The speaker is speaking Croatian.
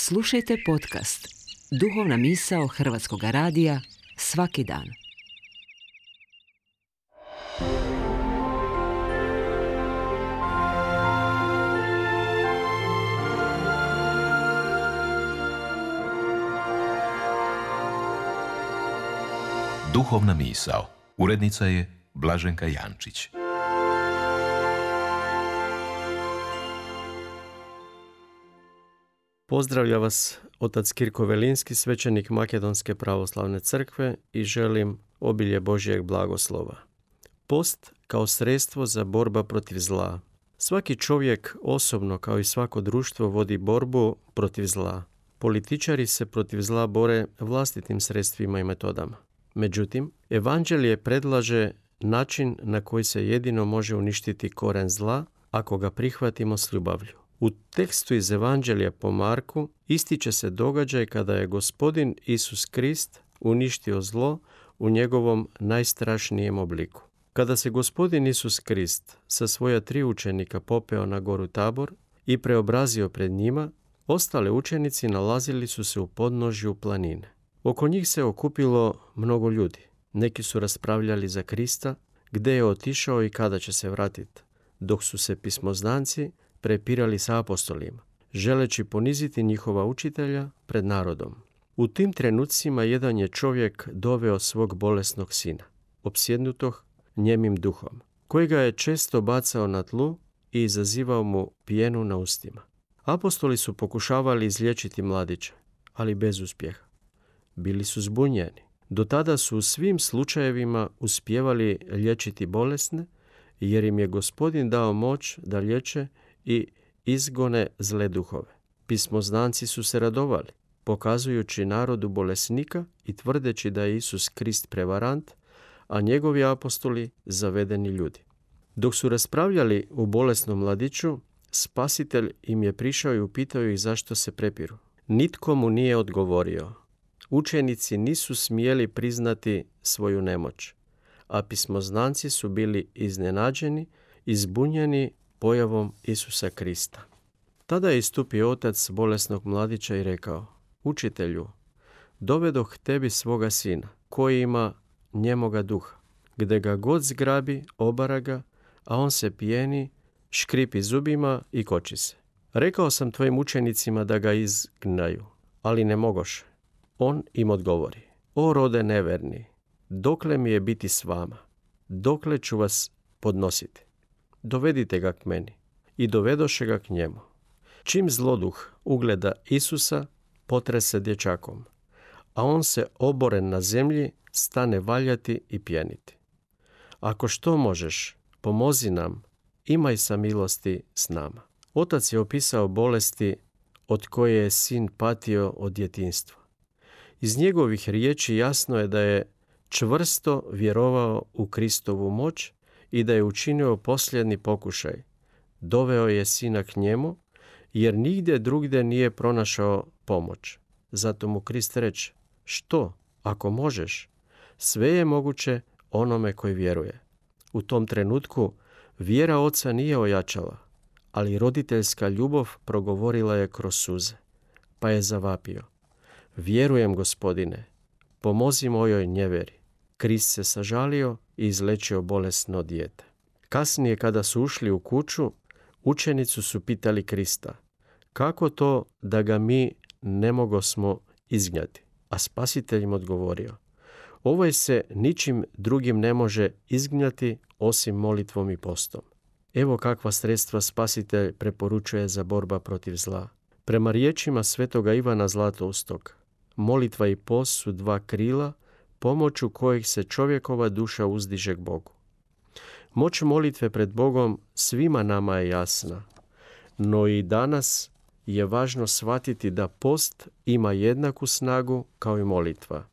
Slušajte podcast Duhovna misao Hrvatskog radija svaki dan. Duhovna misao. Urednica je Blaženka Jančić. Pozdravlja vas otac Kirko Velinski, svećenik Makedonske pravoslavne crkve i želim obilje Božjeg blagoslova. Post kao sredstvo za borba protiv zla. Svaki čovjek osobno kao i svako društvo vodi borbu protiv zla. Političari se protiv zla bore vlastitim sredstvima i metodama. Međutim, Evanđelje predlaže način na koji se jedino može uništiti koren zla ako ga prihvatimo s ljubavlju. U tekstu iz Evanđelja po Marku ističe se događaj kada je Gospodin Isus Krist uništio zlo u njegovom najstrašnijem obliku. Kada se Gospodin Isus Krist sa svoja 3 učenika popeo na goru Tabor i preobrazio pred njima, ostali učenici nalazili su se u podnožju planine. Oko njih se okupilo mnogo ljudi. Neki su raspravljali za Krista, gdje je otišao i kada će se vratiti, dok su se pismoznanci prepirali sa apostolima, želeći poniziti njihova učitelja pred narodom. U tim trenucima jedan je čovjek doveo svog bolesnog sina, opsjednutog njemim duhom, kojega je često bacao na tlu i izazivao mu pjenu na ustima. Apostoli su pokušavali izliječiti mladića, ali bez uspjeha. Bili su zbunjeni. Do tada su u svim slučajevima uspijevali liječiti bolesne, jer im je Gospodin dao moć da liječe i izgone zle duhove. Pismoznanci su se radovali, pokazujući narodu bolesnika i tvrdeći da je Isus Krist prevarant, a njegovi apostoli zavedeni ljudi. Dok su raspravljali u bolesnom mladiću, Spasitelj im je prišao i upitao ih zašto se prepiru. Nitko mu nije odgovorio. Učenici nisu smjeli priznati svoju nemoć, a pismoznanci su bili iznenađeni i zbunjeni pojavom Isusa Krista. Tada je istupio otac bolesnog mladića i rekao: Učitelju, dovedoh tebi svoga sina, koji ima njemoga duha. Gde ga god zgrabi, obara ga, a on se pijeni, škripi zubima i koči se. Rekao sam tvojim učenicima da ga izgnaju, ali ne mogoše. On im odgovori: O rode neverni, dokle mi je biti s vama? Dokle ću vas podnositi? Dovedite ga k meni. I dovedoše ga k njemu. Čim zloduh ugleda Isusa, potrese dječakom, a on se oboren na zemlji stane valjati i pjeniti. Ako što možeš, pomozi nam, imaj samilosti s nama. Otac je opisao bolesti od koje je sin patio od djetinjstva. Iz njegovih riječi jasno je da je čvrsto vjerovao u Kristovu moć i da je učinio posljednji pokušaj. Doveo je sina k njemu, jer nigdje drugdje nije pronašao pomoć. Zato mu Krist reče: Što, ako možeš? Sve je moguće onome koji vjeruje. U tom trenutku vjera oca nije ojačala, ali roditeljska ljubav progovorila je kroz suze, pa je zavapio: Vjerujem, Gospodine, pomozi mojoj njeveri. Krist se sažalio i izlečio bolesno dijete. Kasnije, kada su ušli u kuću, učenici su pitali Krista: Kako to da ga mi ne mogosmo izgnati? A Spasitelj im odgovorio: Ovaj se ničim drugim ne može izgnati osim molitvom i postom. Evo kakva sredstva Spasitelj preporučuje za borba protiv zla. Prema riječima svetoga Ivana Zlatoustog, molitva i post su 2 krila pomoću kojih se čovjekova duša uzdiže k Bogu. Moć molitve pred Bogom svima nama je jasna, no i danas je važno shvatiti da post ima jednaku snagu kao i molitva.